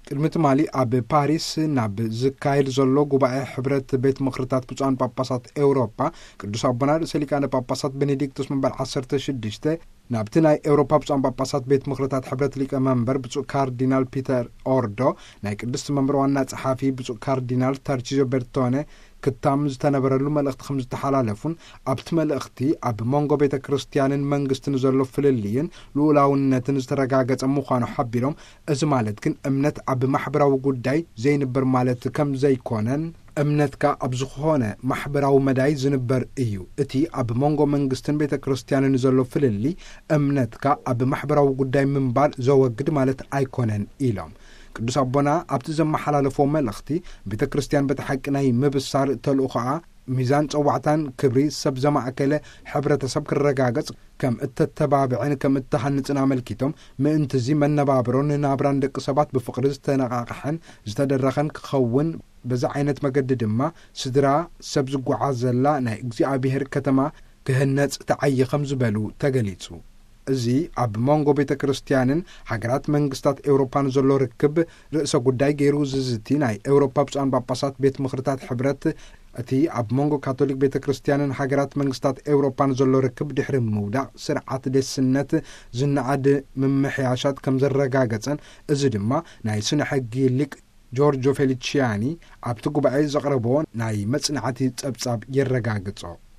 ቅድሚ ትማሊ ኣብ ፓሪስ ናብ ዝካየድ ዘሎ ጉባኤ ሕብረት ቤት ምኽርታት ብፁዓን ጳጳሳት ኤውሮጳ፣ ቅዱስ ኣቦና ርእሰ ሊቃነ ጳጳሳት ቤኔዲክቶስ መንበር ዓሰርተ ሽዱሽተ፣ ናብቲ ናይ ኤውሮጳ ብፁዓን ጳጳሳት ቤት ምኽርታት ሕብረት ሊቀ መንበር ብፁዕ ካርዲናል ፒተር ኦርዶ፣ ናይ ቅድስቲ መንበር ዋና ጸሓፊ ብፁዕ ካርዲናል ተርቺዞ ቤርቶነ ክታም ዝተነበረሉ መልእኽቲ ከም ዝተሓላለፉን፣ ኣብቲ መልእኽቲ ኣብ መንጎ ቤተ ክርስቲያንን መንግስትን ዘሎ ፍልልይን ልኡላውነትን ዝተረጋገጸ ምዃኑ ሓቢሮም፣ እዚ ማለት ግን እምነት ኣብ ማሕበራዊ ጉዳይ ዘይንበር ማለት ከም ዘይኮነን፣ እምነትካ ኣብ ዝኾነ ማሕበራዊ መዳይ ዝንበር እዩ። እቲ ኣብ መንጎ መንግስትን ቤተ ክርስቲያንን ዘሎ ፍልልይ፣ እምነትካ ኣብ ማሕበራዊ ጉዳይ ምንባር ዘወግድ ማለት ኣይኮነን ኢሎም። ቅዱስ ኣቦና ኣብቲ ዘመሓላለፎ መልእኽቲ፣ ቤተ ክርስቲያን በቲ ሓቂ ናይ ምብሳር ተልእኾኣ፣ ሚዛን ጸዋዕታን ክብሪ ሰብ ዘማእከለ ሕብረተሰብ ክረጋገጽ ከም እተተባብዕን ከም እተሃንጽን ኣመልኪቶም፣ ምእንትዚ መነባብሮን ናብራን ደቂ ሰባት ብፍቕሪ ዝተነቓቕሐን ዝተደረኸን ክኸውን፣ በዚ ዓይነት መገዲ ድማ ስድራ ሰብ ዝጓዓዘላ ናይ እግዚኣብሔር ከተማ ክህነጽ ተዓየ ከም ዝበሉ ተገሊጹ። እዚ ኣብ መንጎ ቤተ ክርስቲያንን ሃገራት መንግስታት ኤውሮፓን ዘሎ ርክብ ርእሰ ጉዳይ ገይሩ ዝዝቲ ናይ ኤውሮፓ ብፁዓን ጳጳሳት ቤት ምኽርታት ሕብረት፣ እቲ ኣብ መንጎ ካቶሊክ ቤተ ክርስቲያንን ሃገራት መንግስታት ኤውሮፓን ዘሎ ርክብ ድሕሪ ምውዳቕ ስርዓት ደስነት ዝነኣድ ምምሕያሻት ከም ዘረጋገጸን፣ እዚ ድማ ናይ ስነ ሕጊ ሊቅ ጆርጆ ፌሊቺያኒ ኣብቲ ጉባኤ ዘቕረቦ ናይ መጽናዕቲ ጸብጻብ የረጋግጾ።